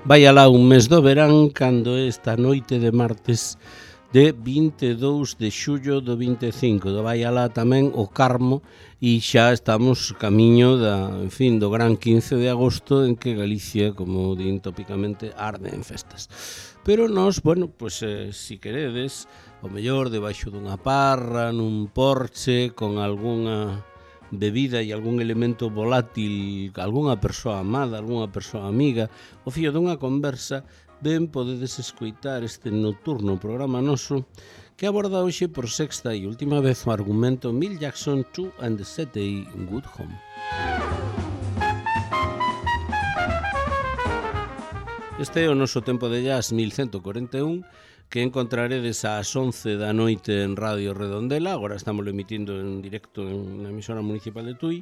vai alá un mes do verán cando esta noite de martes de 22 de xullo do 25. Vai alá tamén o Carmo e xa estamos camiño do gran 15 de agosto en que Galicia, como din tópicamente, arde en festas. Pero nós, si queredes, o mellor debaixo dunha parra, nun porche, con algunha bebida e algún elemento volátil, algunha persoa amada, algunha persoa amiga, o fío dunha conversa, ben podedes escoitar este nocturno programa noso que aborda hoxe por sexta e última vez o argumento Milt Jackson 2 and the City Good Home. Este é o noso tempo de jazz 1141 que encontraredes ás 11 da noite en Radio Redondela. Agora estamos emitindo en directo na emisora municipal de Tui,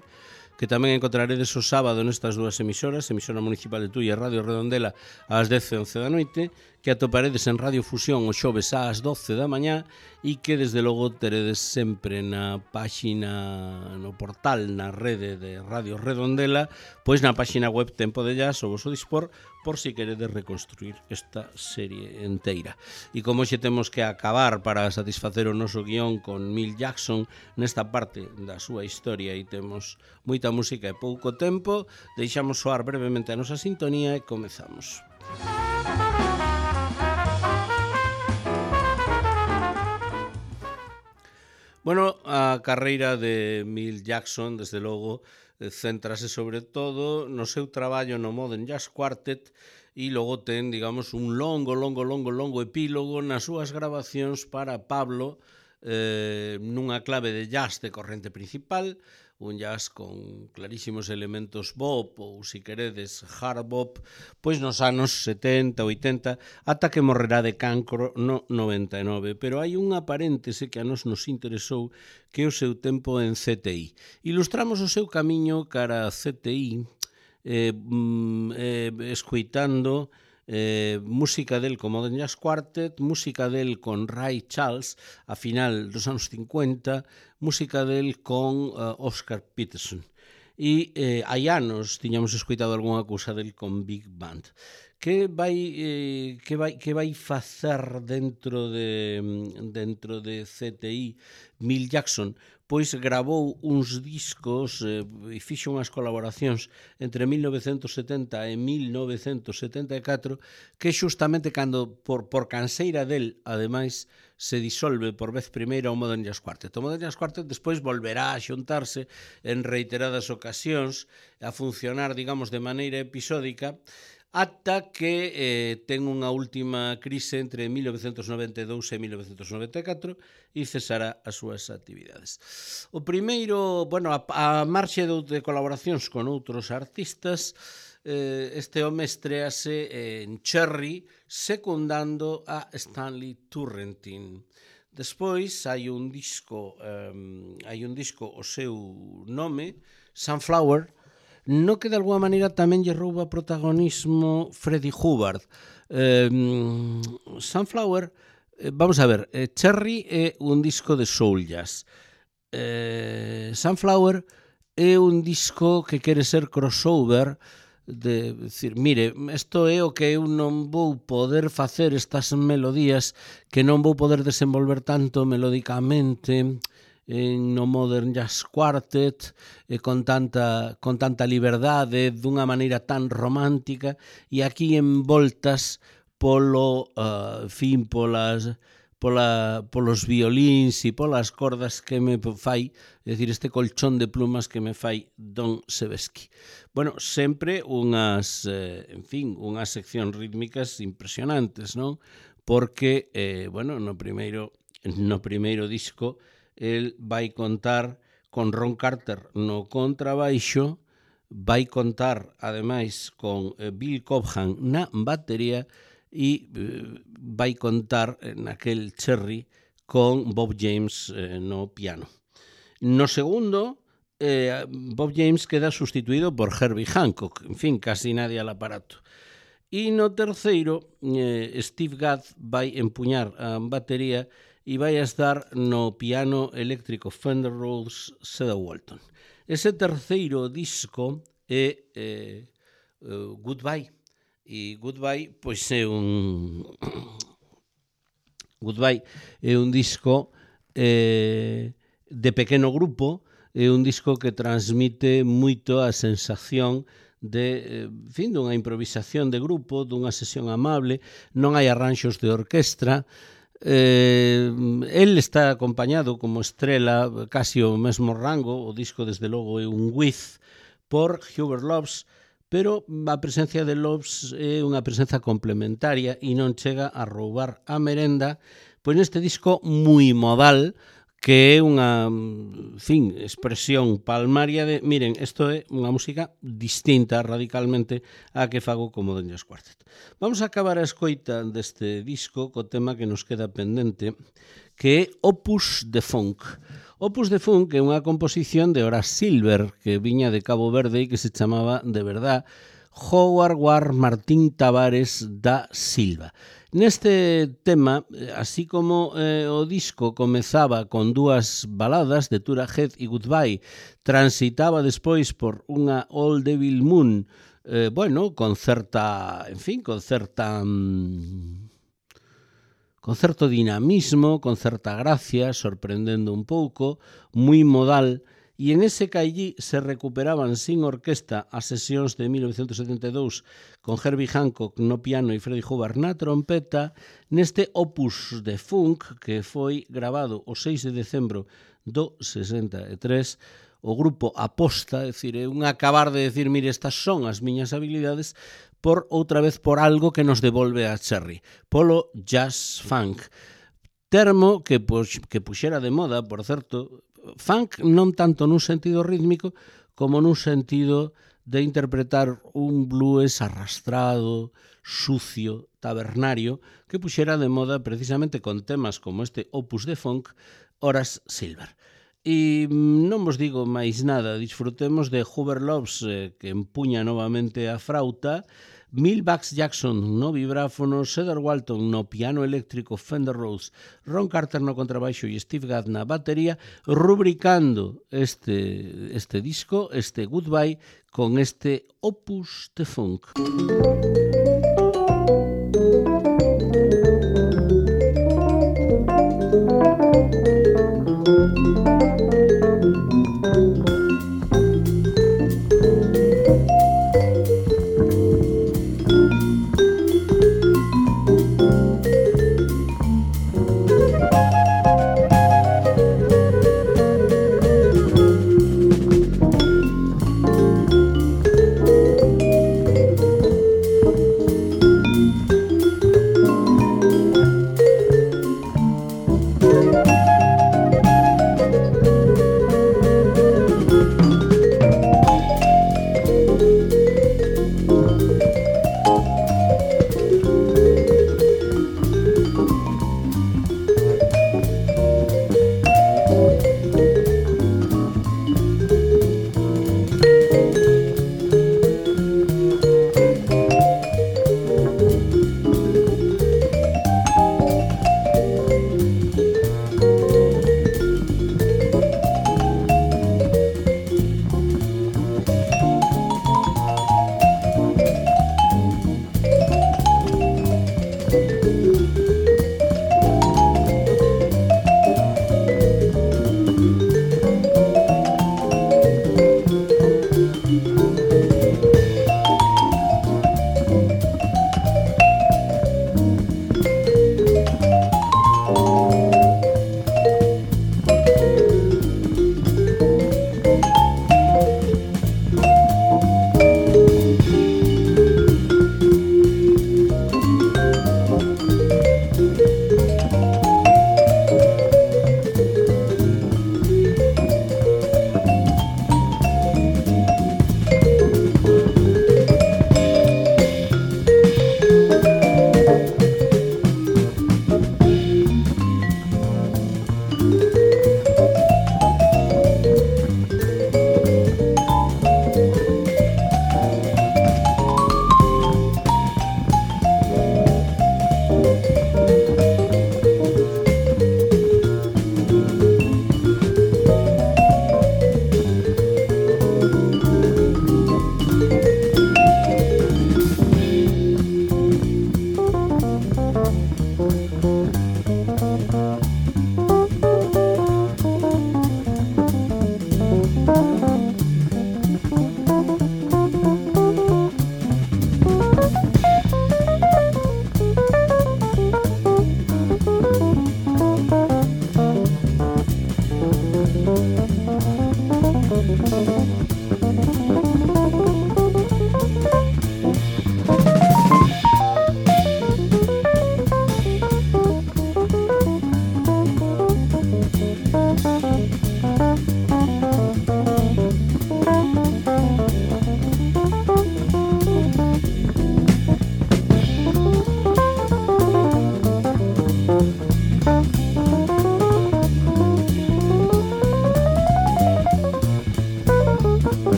que tamén encontraredes o sábado nestas dúas emisoras, emisora municipal de Tui e Radio Redondela ás 10 e 11 da noite, que atoparedes en Radio Fusión o xoves ás 12 da mañá e que desde logo teredes sempre na páxina, no portal, na rede de Radio Redondela, pois na páxina web Tempo de Jazz o voso dispor, por si queredes reconstruir esta serie enteira. E como xe temos que acabar para satisfacer o noso guión con Milt Jackson nesta parte da súa historia e temos moita música e pouco tempo, deixamos soar brevemente a nosa sintonía e comezamos. Bueno, a carreira de Milt Jackson, desde logo, céntrase sobre todo no seu traballo no Modern Jazz Quartet e logo ten, digamos, un longo epílogo nas súas grabacións para Pablo nunha clave de jazz de corrente principal, un jazz con clarísimos elementos bop ou, si queredes, hard bop, pois nos anos 70, 80, ata que morrerá de cancro no 99. Pero hai unha paréntese que a nos interesou, que é o seu tempo en CTI. Ilustramos o seu camiño cara a CTI escoitando música del con Modern Jazz Quartet, música del con Ray Charles a final dos anos 50, música del con Oscar Peterson. E hai anos tiñamos escoitado algunha cousa del con Big Band. Que vai facer dentro de CTI Milt Jackson? Pois gravou uns discos e fixo unhas colaboracións entre 1970 e 1974 que xustamente cando por canseira del, ademais, se disolve por vez primeira o Modern Jazz Quartet. O Modern Jazz Quartet despois volverá a xuntarse en reiteradas ocasións a funcionar, digamos, de maneira episódica, ata que ten unha última crise entre 1992 e 1994 e cesará as súas actividades. O primeiro, a marxe de colaboracións con outros artistas, este home estrease en Cherry secundando a Stanley Turrentine. Despois hai un disco o seu nome, Sunflower, no que de alguma maneira tamén lle rouba protagonismo Freddie Hubbard. Sunflower, vamos a ver, Cherry é un disco de soul jazz. Sunflower é un disco que quere ser crossover, de decir, mire, isto é o que eu non vou poder facer, estas melodías que non vou poder desenvolver tanto melódicamente no Modern Jazz Quartet, con tanta liberdade, dunha maneira tan romántica, e aquí envoltas polos violíns e polas cordas que me fai, é dicir, este colchón de plumas que me fai Don Sebesky. Bueno, sempre unhas seccións rítmicas impresionantes, non? Porque, no primeiro disco, el vai contar con Ron Carter no contrabaixo, vai contar, ademais, con Bill Cobham na batería e vai contar naquel Cherry con Bob James no piano. No segundo, Bob James queda sustituído por Herbie Hancock, en fin, casi nadie al aparato. E no terceiro, Steve Gadd vai empuñar a batería e vai a estar no piano eléctrico Fender Rhodes Cedar Walton. Ese terceiro disco é Goodbye, E Goodbye, pois Goodbye é un disco de pequeno grupo, é un disco que transmite moito a sensación de, dunha improvisación de grupo, dunha sesión amable, non hai arranxos de orquestra. El está acompañado como estrela, casi o mesmo rango, o disco desde logo é un With, por Hubert Loves, pero a presencia de Loves é unha presenza complementaria e non chega a roubar a merenda, pois neste disco moi modal, que é unha expresión palmaria de, miren, isto é unha música distinta radicalmente á que fago como Modern Jazz Quartet. Vamos a acabar a escoita deste disco co tema que nos queda pendente, que é Opus de Funk. Opus de Funk é unha composición de Horace Silver, que viña de Cabo Verde e que se chamaba, de verdad, Howard War Martín Tavares da Silva. Neste tema, así como o disco comezaba con dúas baladas de Tura Head e Goodbye, transitaba despois por unha Old Devil Moon, con certo dinamismo, con certa gracia, sorprendendo un pouco, moi modal, e en ese caillí se recuperaban sin orquesta as sesións de 1972 con Herbie Hancock no piano e Freddie Hubbard na trompeta, neste Opus de Funk que foi grabado o 6 de decembro do 63, o grupo aposta, é dicir, é un acabar de decir, mire, estas son as miñas habilidades, por outra vez por algo que nos devolve a Cherry, polo jazz funk. Termo que puxera de moda, por certo, funk non tanto nun sentido rítmico como nun sentido de interpretar un blues arrastrado, sucio, tabernario, que puxera de moda precisamente con temas como este Opus de Funk, Horace Silver. E non vos digo máis nada, disfrutemos de Hubert Loves, que empuña novamente a frauta, Milbax Jackson no vibráfono, Cedar Walton no piano eléctrico Fender Rhodes, Ron Carter no contrabaixo e Steve Gadd na batería, rubricando este disco, este Goodbye, con este Opus de Funk.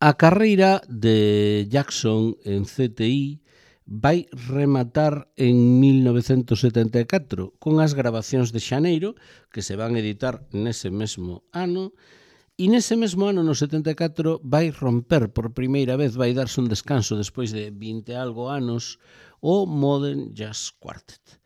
A carreira de Jackson en CTI vai rematar en 1974 con as grabacións de Xaneiro, que se van editar nese mesmo ano, e nese mesmo ano, no 74, vai romper por primeira vez, vai darse un descanso despois de 20 e algo anos, o Modern Jazz Quartet.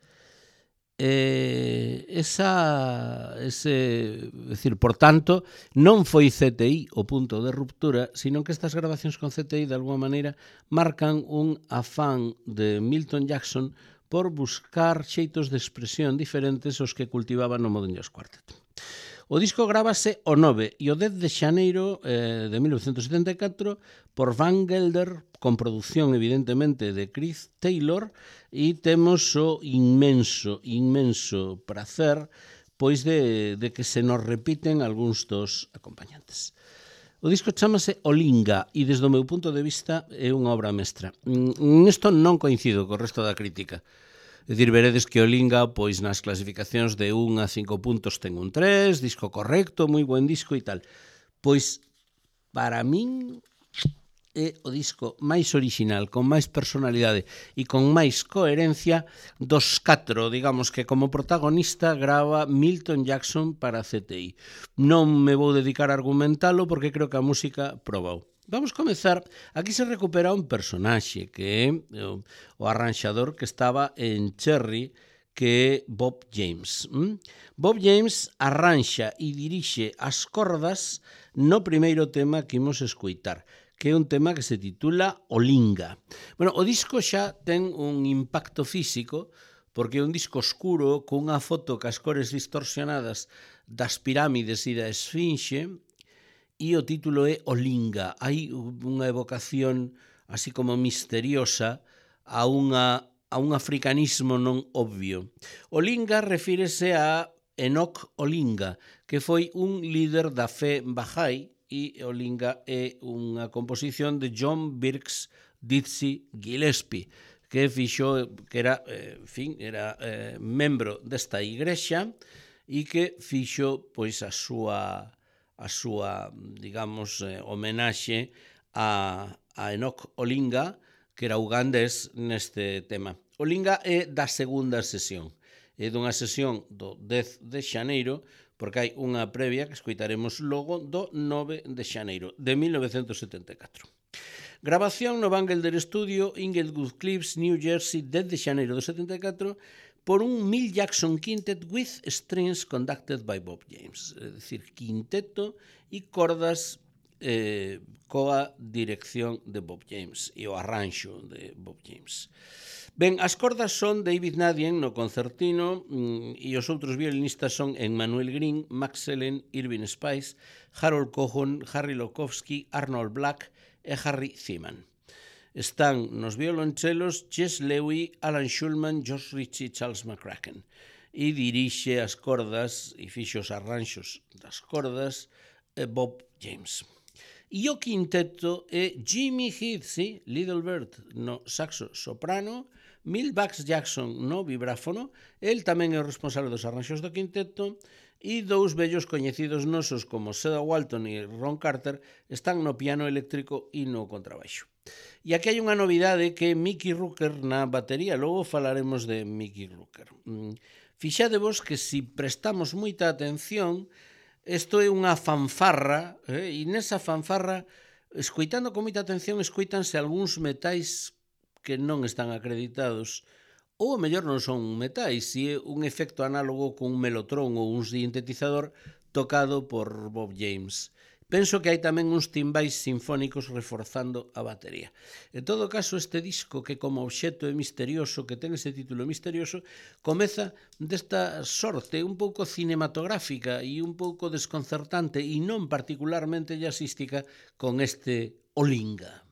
Por tanto, non foi CTI o punto de ruptura, sino que estas grabacións con CTI de alguma maneira marcan un afán de Milton Jackson por buscar xeitos de expresión diferentes aos que cultivaba no Modern Jazz Quartet. O disco grábase o 9 e o 10 de xaneiro de 1974 por Van Gelder, con produción evidentemente de Chris Taylor, e temos o inmenso prazer pois de que se nos repiten algúns dos acompañantes. O disco chamase Olinga e desde o meu punto de vista é unha obra mestra. Nesto non coincido co resto da crítica. É dicir, veredes que Olinga, pois nas clasificacións de 1 a 5 puntos ten un 3, disco correcto, moi buen disco e tal. Pois, para min, é o disco máis original, con máis personalidade e con máis coherencia dos 4, digamos, que como protagonista grava Milton Jackson para CTI. Non me vou dedicar a argumentalo porque creo que a música probou. Vamos comezar, aquí se recupera un personaxe que é o arranxador que estaba en Cherry, que é Bob James. Bob James arranxa e dirixe as cordas no primeiro tema que imos escoitar, que é un tema que se titula Olinga. Bueno, o disco xa ten un impacto físico, porque é un disco oscuro cunha foto cas cores distorsionadas das pirámides e da esfinxe, e o título é Olinga. Hai unha evocación así como misteriosa a un africanismo non obvio. Olinga refírese a Enoch Olinga, que foi un líder da fe Bahá'í, e Olinga é unha composición de John Birks Dizzy Gillespie, que era membro desta igrexa e que fixo pois a súa digamos, homenaxe a Enoch Olinga, que era ugandés neste tema. Olinga é da segunda sesión, é dunha sesión do 10 de xaneiro, porque hai unha previa que escoitaremos logo do 9 de xaneiro de 1974. Grabación no Van Gelder Studio, Inglewood Cliffs, New Jersey, 10 de xaneiro do 74, por un Milt Jackson Quintet with strings conducted by Bob James. É dicir, quinteto e cordas coa dirección de Bob James e o arranxo de Bob James. Ben, as cordas son David Nadien no concertino e os outros violinistas son Emmanuel Green, Max Sellen, Irving Spice, Harold Cohen, Harry Lokowski, Arnold Black e Harry Seaman. Están nos violonchelos Jess Lewy, Alan Schulman, Josh Ritchie e Charles McCracken. E dirixe as cordas e fixo os arranxos das cordas Bob James. E o quinteto é Jimmy Heath, Little Bird no saxo soprano, Milt Bugs Jackson no vibráfono, el tamén é o responsable dos arranxos do quinteto, e dous vellos coñecidos nosos como Cedar Walton e Ron Carter están no piano eléctrico e no contrabaixo. E aquí hai unha novidade que é Mickey Rooker na batería, logo falaremos de Mickey Rooker. Fixadevos que se prestamos moita atención, isto é unha fanfarra, e nesa fanfarra, escoitando con moita atención, escoitanse algúns metais que non están acreditados, ou a mellor non son metais, se é un efecto análogo con un melotrón ou un sintetizador tocado por Bob James. Penso que hai tamén uns timbais sinfónicos reforzando a batería. En todo caso, este disco, que como obxecto é misterioso, que ten ese título misterioso, comeza desta sorte un pouco cinematográfica e un pouco desconcertante e non particularmente jazzística con este Olinga.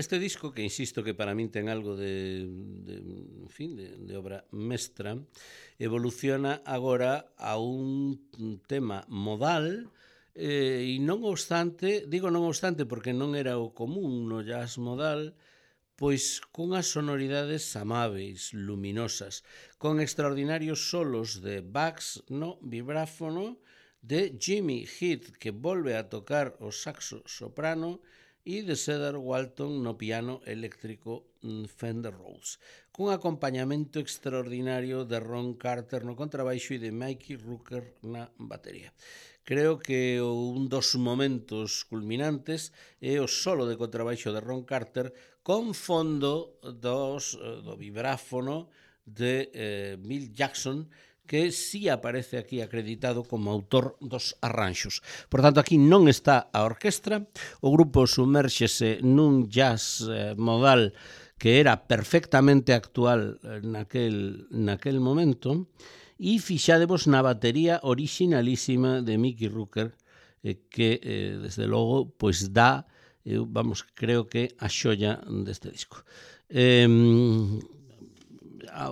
Este disco, que insisto que para min ten algo en fin, de obra mestra, evoluciona agora a un tema modal, e non obstante, digo non obstante porque non era o común no jazz modal, pois cunhas sonoridades amáveis, luminosas, con extraordinarios solos de Bugs no vibráfono, de Jimmy Heath, que volve a tocar o saxo soprano, e de Cedar Walton no piano eléctrico Fender Rhodes, cun acompañamento extraordinario de Ron Carter no contrabaixo e de Mickey Rooker na batería. Creo que un dos momentos culminantes é o solo de contrabaixo de Ron Carter con fondo do vibráfono de Bill Jackson, que sí aparece aquí acreditado como autor dos arranxos. Por tanto, aquí non está a orquestra, o grupo sumérxese nun jazz modal que era perfectamente actual naquel momento, e fixadevos na batería orixinalísima de Mickey Rooker, que, desde logo, pois dá, creo que a xoia deste disco.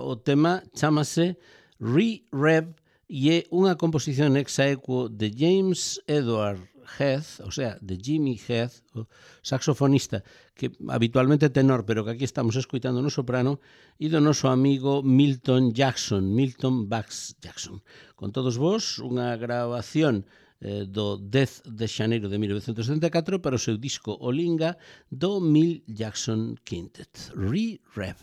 O tema chamase Re-Rev e é unha composición ex aequo de James Edward Heath, o sea, de Jimmy Heath, o saxofonista, que habitualmente é tenor, pero que aquí estamos escoitando no soprano, e do noso amigo Milton Bugs Jackson. Con todos vos, unha grabación do 10 de xaneiro de 1974 para o seu disco Olinga do Mill Jackson Quintet. Re-Rev.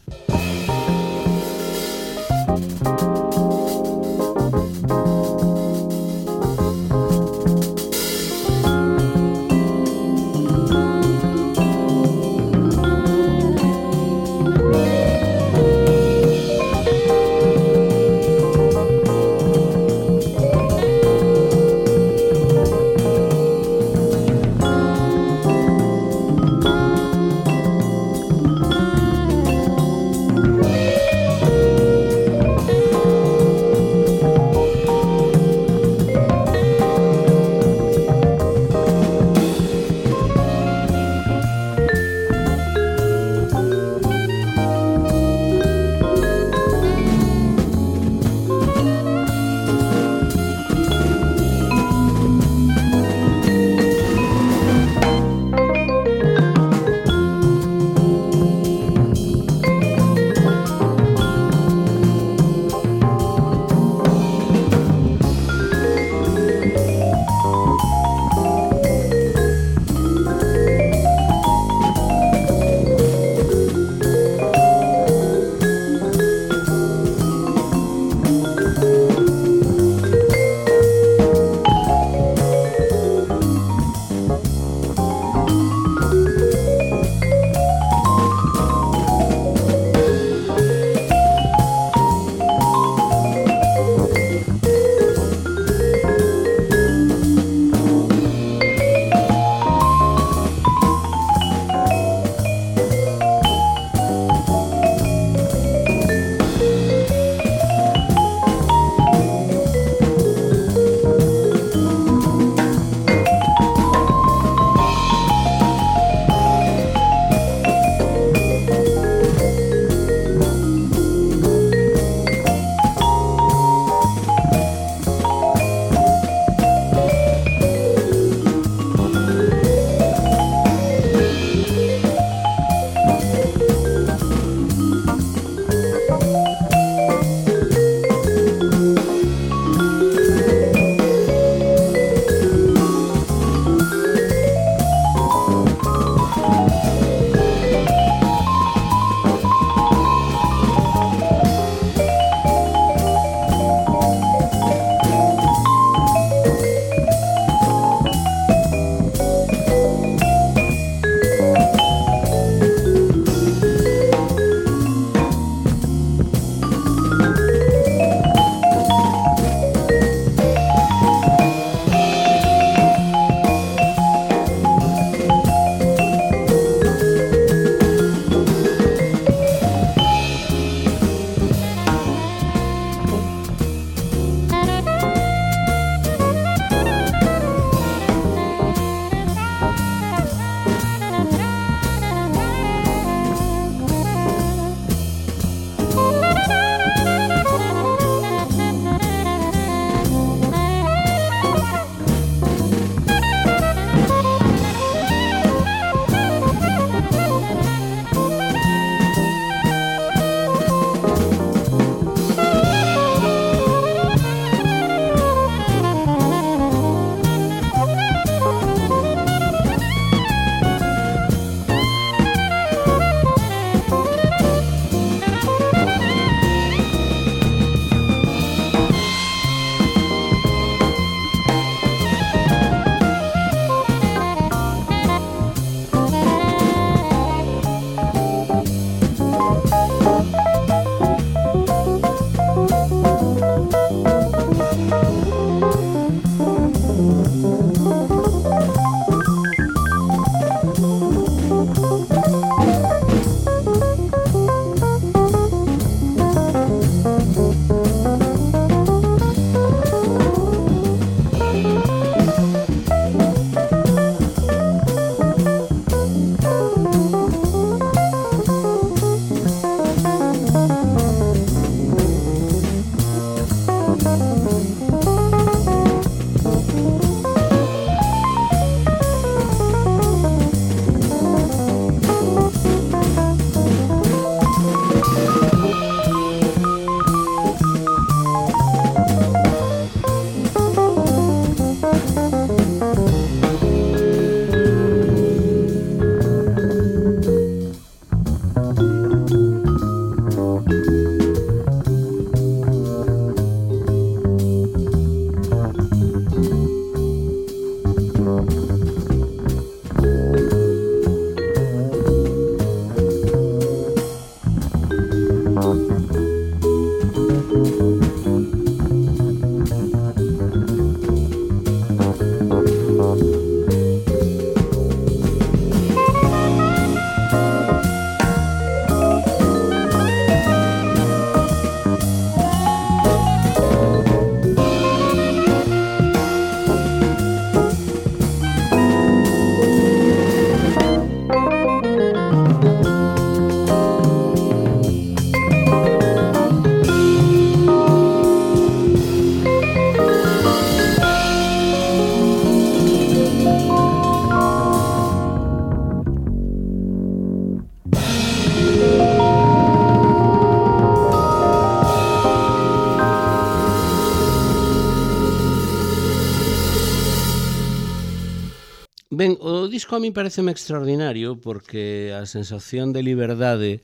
Ben, o disco a mí pareceme extraordinario porque a sensación de liberdade,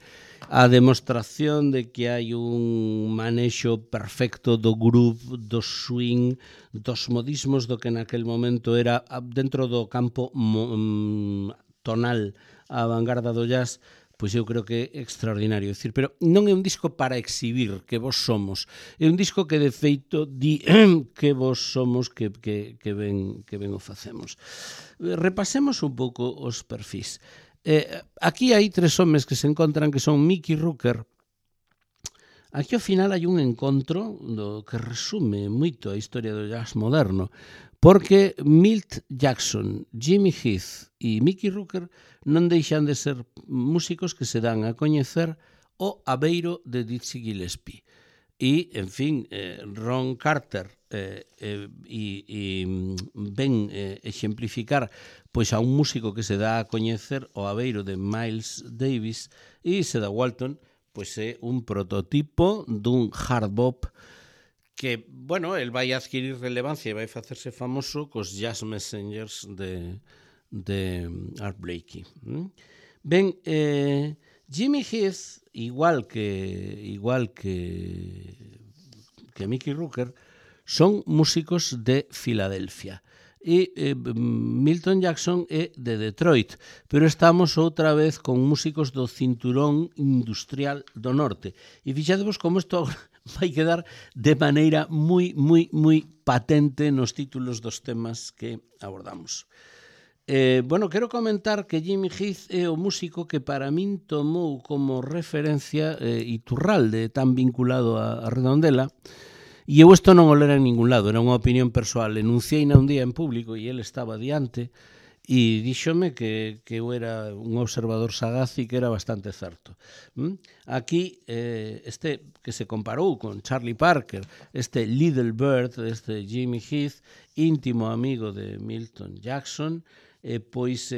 a demostración de que hai un manexo perfecto do groove, do swing, dos modismos do que naquel momento era dentro do campo tonal a vanguarda do jazz, pois eu creo que é extraordinario. É dicir, pero non é un disco para exhibir que vos somos, é un disco que de feito di que vos somos, que ben o facemos. Repasemos un pouco os perfis. Aquí hai tres homes que se encontran que son Mickey Rooker. Aquí ao final hai un encontro que resume moito a historia do jazz moderno, porque Milt Jackson, Jimmy Heath e Mickey Rooker non deixan de ser músicos que se dan a coñecer o abeiro de Dizzy Gillespie. E, en fin, Ron Carter ven exemplificar pois a un músico que se dá a coñecer o abeiro de Miles Davis, e Cedar Walton pois é un prototipo dun hard bop que, bueno, el vai adquirir relevancia e vai facerse famoso cos Jazz Messengers de Art Blakey. Ben, Jimmy Heath, igual que Mickey Rooker, son músicos de Filadelfia. E Milton Jackson é de Detroit, pero estamos outra vez con músicos do cinturón industrial do norte. E fixadevos como isto vai quedar de maneira moi patente nos títulos dos temas que abordamos. Bueno, quero comentar que Jimmy Heath é o músico que para min tomou como referencia Iturralde, tan vinculado a Redondela, e eu isto non o lera en ningún lado, era unha opinión persoal. Enunciei un día en público e ele estaba diante e díxome que eu era un observador sagaz e que era bastante certo. Aquí, este que se comparou con Charlie Parker, este Little Bird, este Jimmy Heath, íntimo amigo de Milton Jackson, pois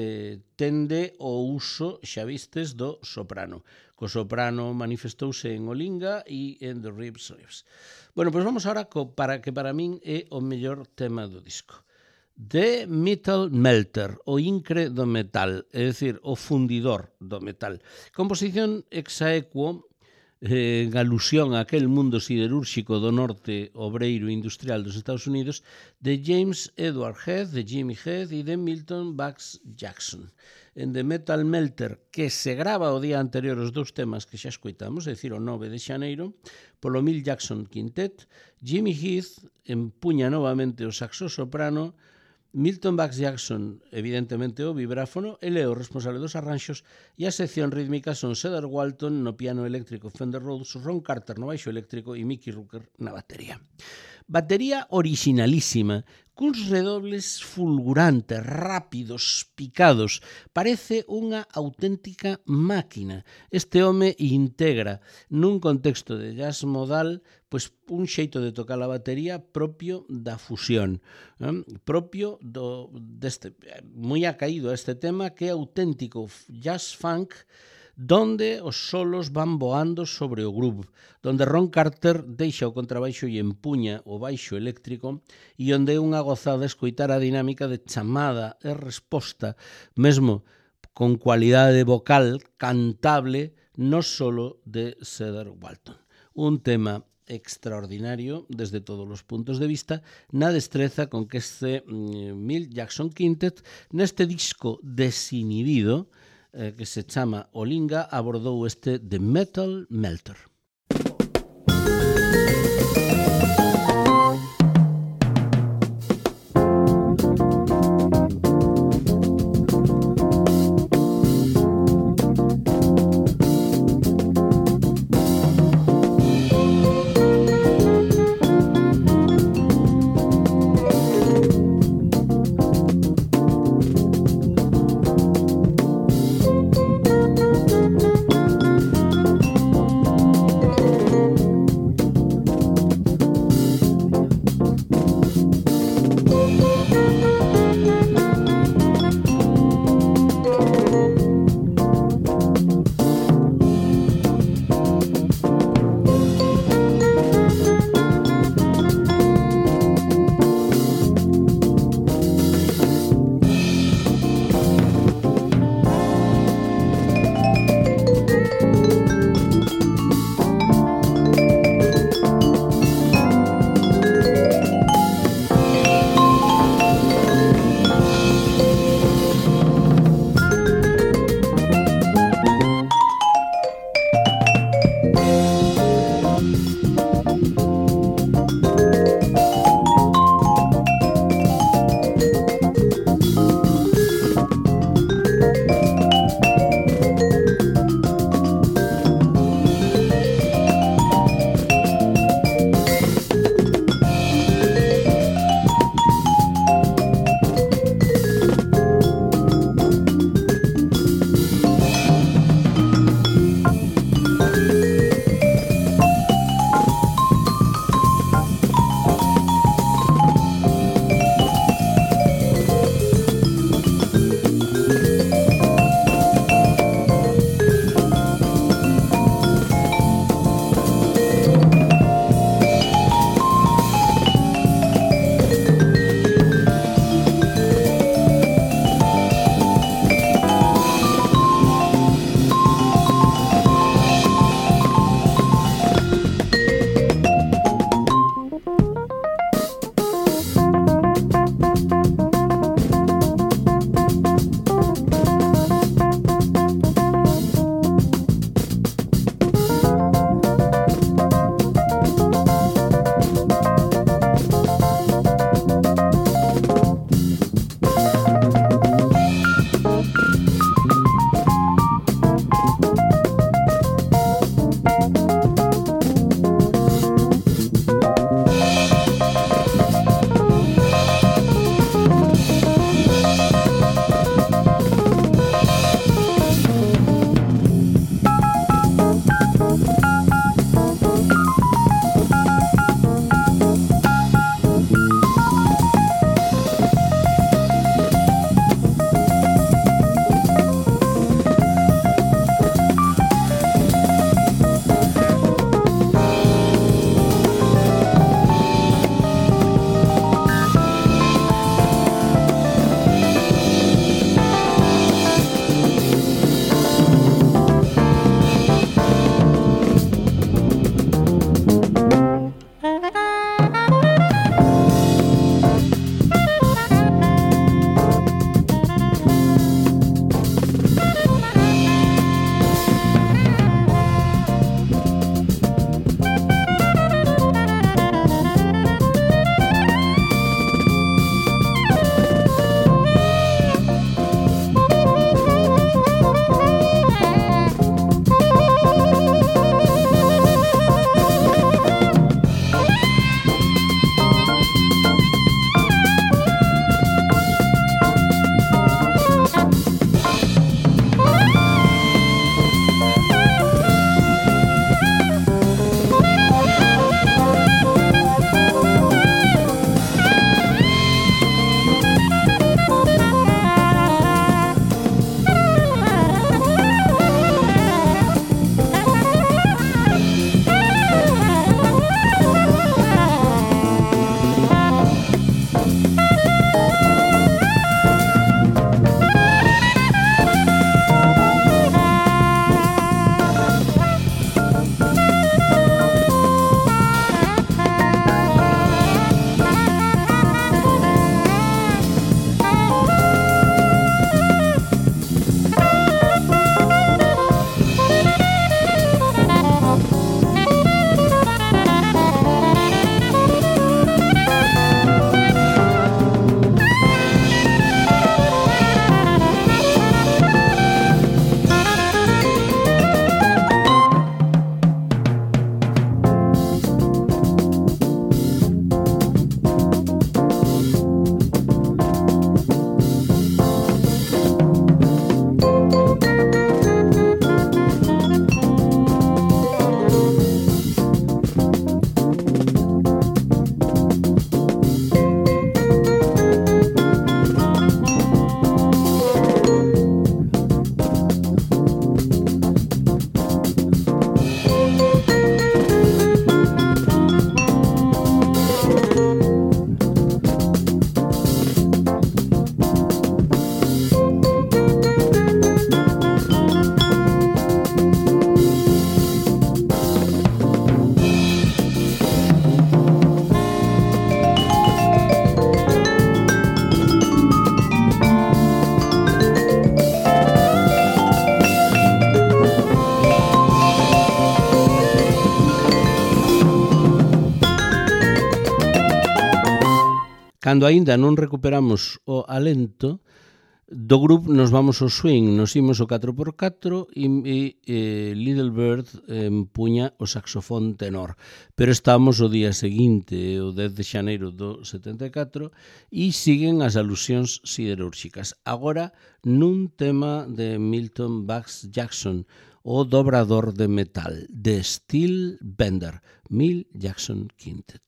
tende o uso, xa vistes, do soprano. Co soprano manifestouse en Olinga e en The Ribs. Bueno, pois vamos agora para min é o mellor tema do disco. The Metal Melter, o incre do metal, é dicir, o fundidor do metal. Composición exaequo, en alusión a aquel mundo siderúrxico do norte obreiro industrial dos Estados Unidos, de James Edward Heath, de Jimmy Heath e de Milton Bugs Jackson. En The Metal Melter, que se grava o día anterior os dous temas que xa escoitamos, é dicir, o 9 de xaneiro, polo Milt Jackson Quintet, Jimmy Heath empuña novamente o saxo soprano, Milton Bugs Jackson, evidentemente, o vibráfono, ele é o responsable dos arranxos, e a sección rítmica son Cedar Walton no piano eléctrico Fender Rhodes, Ron Carter no baixo eléctrico e Mickey Rooker na batería. Batería originalísima, cuns redobles fulgurantes, rápidos, picados. Parece unha auténtica máquina. Este home integra nun contexto de jazz modal pois un xeito de tocar a batería propio da fusión, propio deste, moi acaído a este tema, que é auténtico jazz funk, donde os solos van voando sobre o groove, donde Ron Carter deixa o contrabaixo e empuña o baixo eléctrico, e onde é unha gozada escoitar a dinámica de chamada e resposta, mesmo con cualidade vocal cantable, no solo de Cedar Walton. Un tema extraordinario desde todos os puntos de vista, na destreza con que este Milt Jackson Quintet, neste disco desinhibido, que se chama Olinga, abordou este The Metal Melter. cando aínda non recuperamos o alento, do grupo nos vamos ao swing, nos imos o 4x4 e Little Bird empuña o saxofón tenor. Pero estamos o día seguinte, o 10 de xaneiro do 74, e siguen as alusións siderúrxicas. Agora, nun tema de Milton Bax Jackson, o dobrador de metal, de Steel Bender, Milt Jackson Quintet.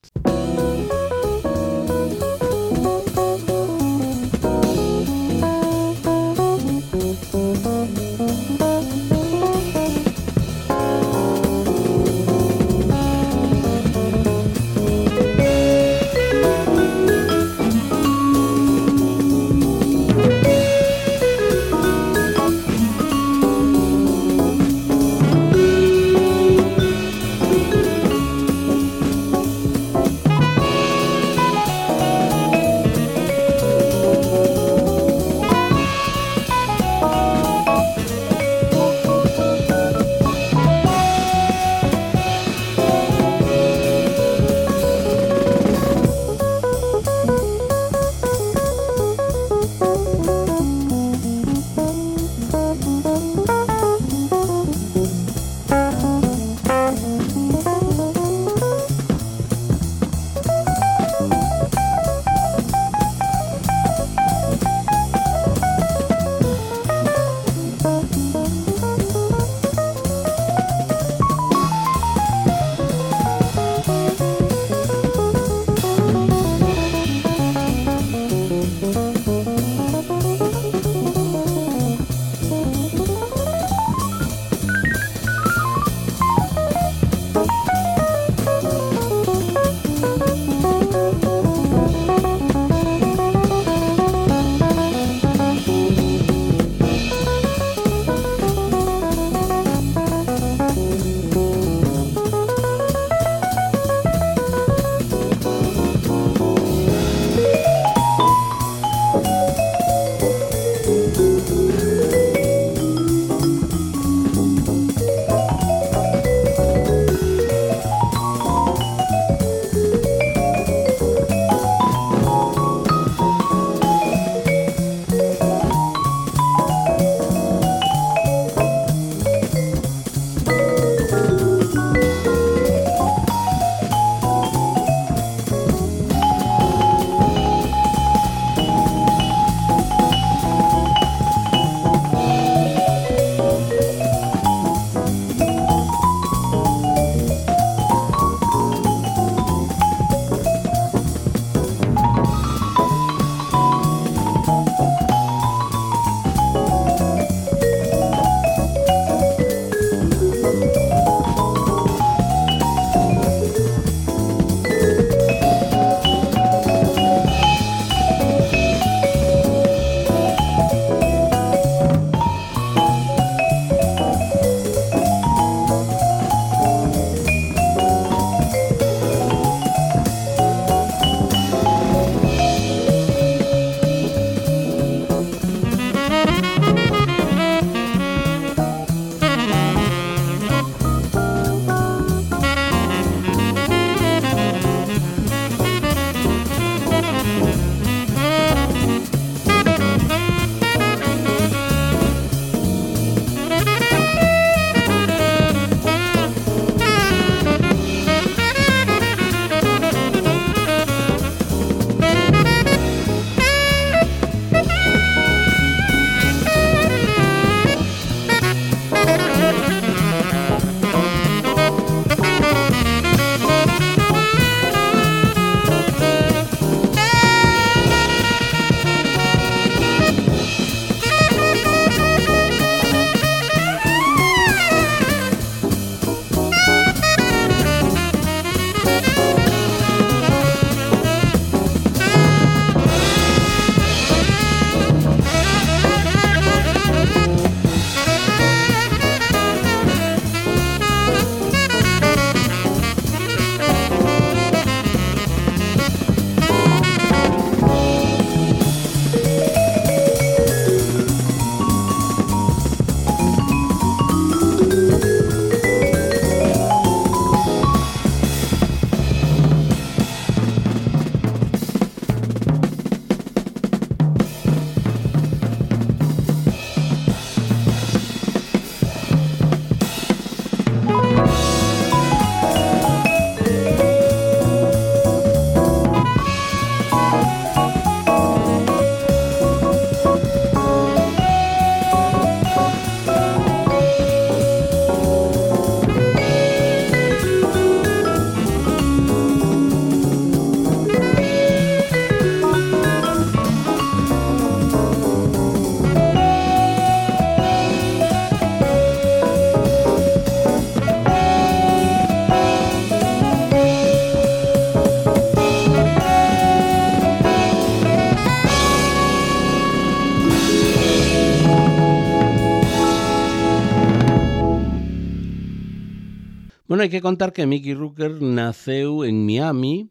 Bueno, hai que contar que Mickey Rooker naceu en Miami,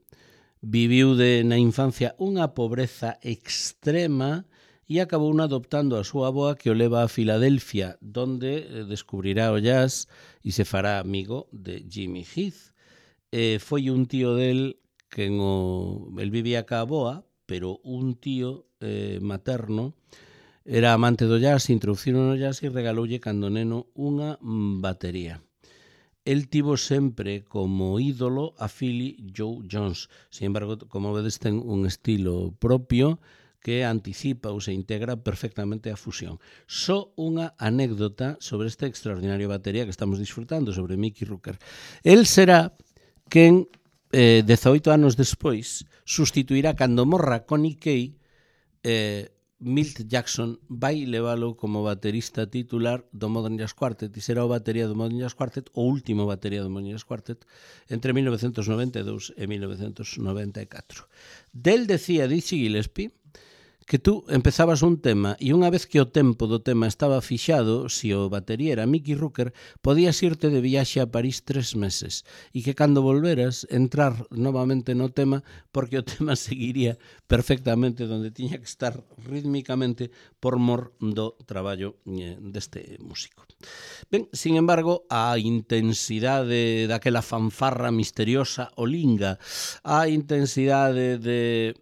viviu na infancia unha pobreza extrema e acabou adoptando a súa avoa que o leva a Filadelfia, donde descubrirá o jazz e se fará amigo de Jimmy Heath. Foi un tío del que el vivía ca avoa, pero un tío materno era amante do jazz, introduciron no jazz e regaloulle cando neno unha batería. El tivo sempre como ídolo a Philly Joe Jones. Sin embargo, como vedes, ten un estilo propio que anticipa ou se integra perfectamente a fusión. Só unha anécdota sobre este extraordinario batería que estamos disfrutando, sobre Mickey Rooker. El será quen, 18 anos despois, sustituirá cando morra Connie Kay, Milt Jackson vai leválo como baterista titular do Modern Jazz Quartet e será o batería do Modern Jazz Quartet, o último batería do Modern Jazz Quartet, entre 1992 e 1994. Del decía Dizzy Gillespie que tú empezabas un tema e unha vez que o tempo do tema estaba fixado, se o batería era Mickey Rooker, podías irte de viaxe a París 3 meses e que cando volveras entrar novamente no tema porque o tema seguiría perfectamente donde tiña que estar rítmicamente por mor do traballo deste músico. Ben, sin embargo, a intensidade daquela fanfarra misteriosa olinga, a intensidade de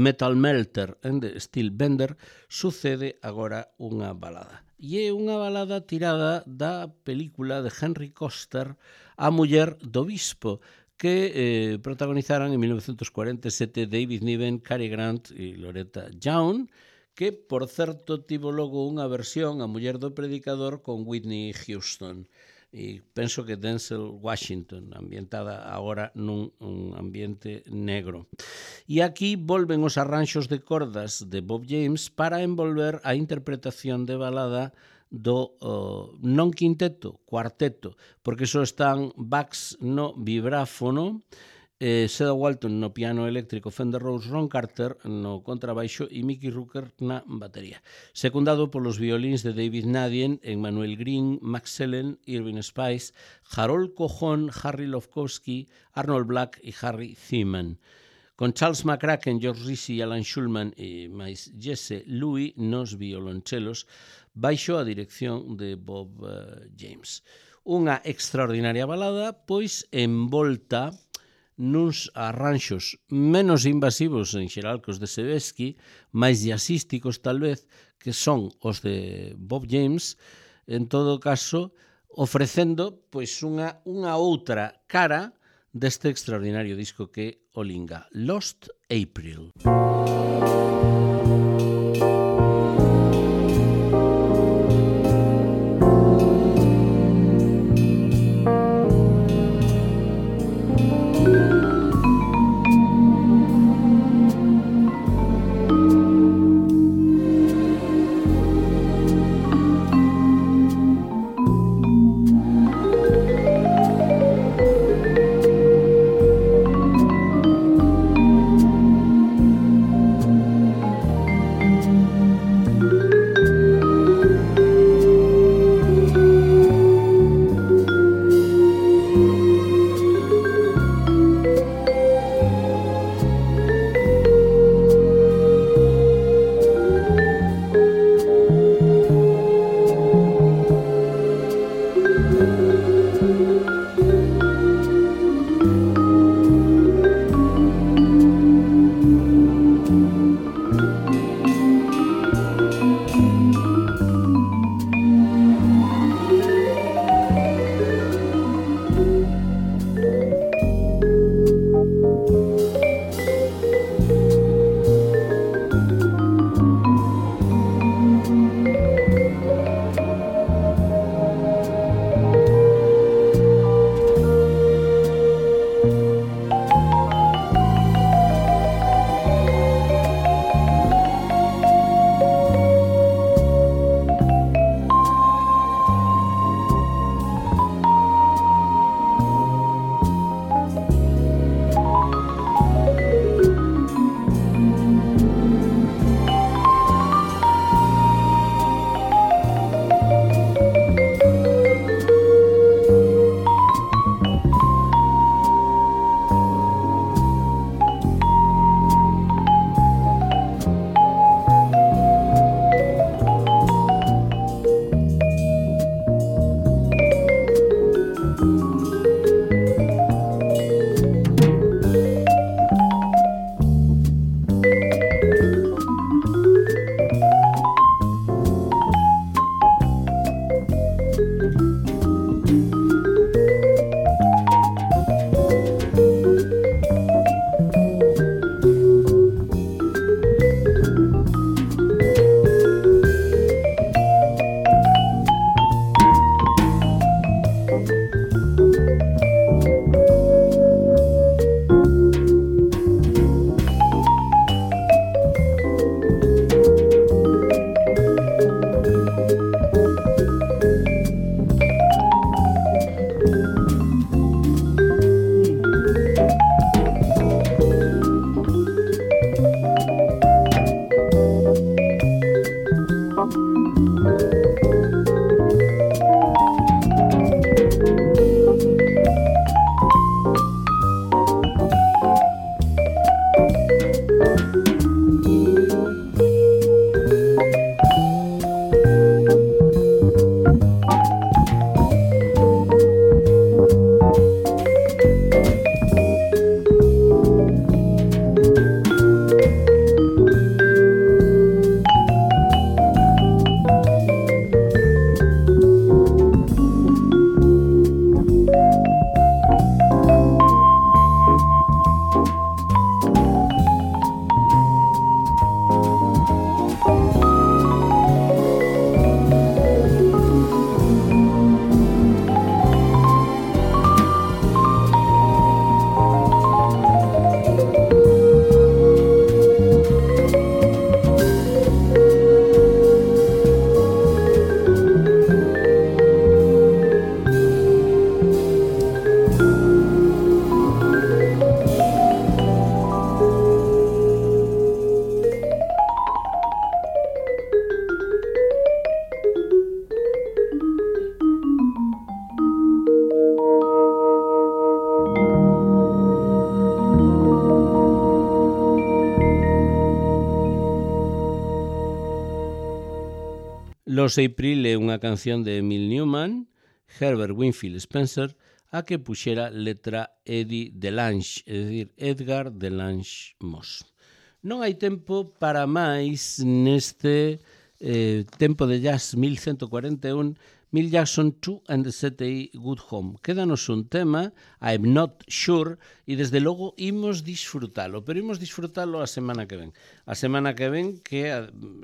Metal Melter and the Steel Bender, sucede agora unha balada. E é unha balada tirada da película de Henry Koster, A muller do bispo, que protagonizaran en 1947 David Niven, Cary Grant e Loretta Young, que, por certo, tivo logo unha versión, A muller do predicador, con Whitney Houston. E penso que Denzel Washington, ambientada agora nun ambiente negro. E aquí volven os arranxos de cordas de Bob James para envolver a interpretación de balada do non quinteto, cuarteto, porque só están Bax no vibráfono, Seda Walton no piano eléctrico, Fender Rhodes, Ron Carter no contrabaixo e Mickey Rooker na batería. Secundado polos violíns de David Nadien, Emmanuel Green, Max Sellen, Irving Spice, Harold Cojon, Harry Lofkowski, Arnold Black e Harry Theman. Con Charles McCracken, George Risi, Alan Schulman e máis Jesse Louis nos violonchelos, baixo a dirección de Bob James. Unha extraordinaria balada, pois envolta nuns arranxos menos invasivos en xeral que os de Sebesky, máis jazzísticos tal vez, que son os de Bob James, en todo caso, ofrecendo pois unha outra cara deste extraordinario disco que olinga, Lost April. Los April é unha canción de Emil Newman, Herbert Winfield Spencer, a que puxera letra Eddie Delange, é dicir, Edgar Delange Moss. Non hai tempo para máis neste tempo de jazz 1141, Milt Jackson 2 and the City Good Home. Quédanos un tema, I'm Not Sure, e desde logo imos disfrutalo, pero imos disfrutalo a semana que ven. A semana que ven que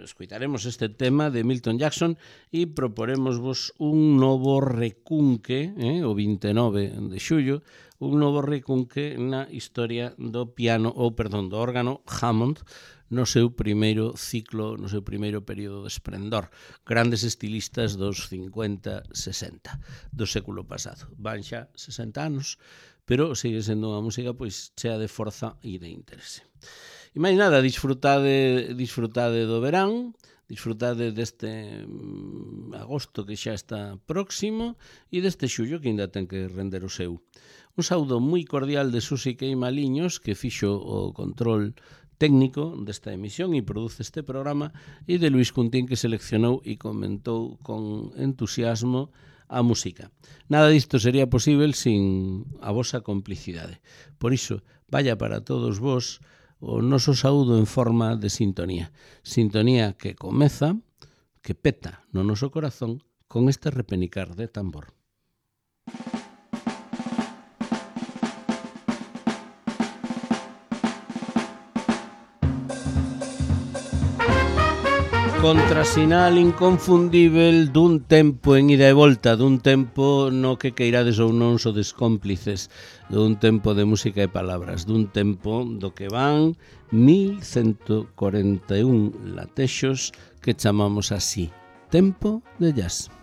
escoitaremos este tema de Milton Jackson e proporemosvos un novo recunque, o 29 de xullo, un novo recunque na historia do piano, do órgano Hammond, no seu primeiro ciclo, no seu primeiro período de esplendor. Grandes estilistas dos 50-60 do século pasado. Van xa 60 anos, pero sigue sendo unha música pois chea de forza e de interese. E máis nada, disfrutade do verán, disfrutade deste agosto que xa está próximo e deste xullo que ainda ten que render o seu. Un saúdo moi cordial de Susi Queimaliños, que fixo o control técnico desta emisión e produce este programa, e de Luis Cuntín, que seleccionou e comentou con entusiasmo a música. Nada disto sería posible sin a vosa complicidade. Por iso, vaya para todos vos o noso saúdo en forma de sintonía. Sintonía que comeza, que peta no noso corazón con este repenicar de tambor. Contrasinal inconfundível dun tempo en ida e volta, dun tempo no que queirades ou non sodes cómplices, dun tempo de música e palabras, dun tempo do que van 1141 latexos que chamamos así, tempo de jazz.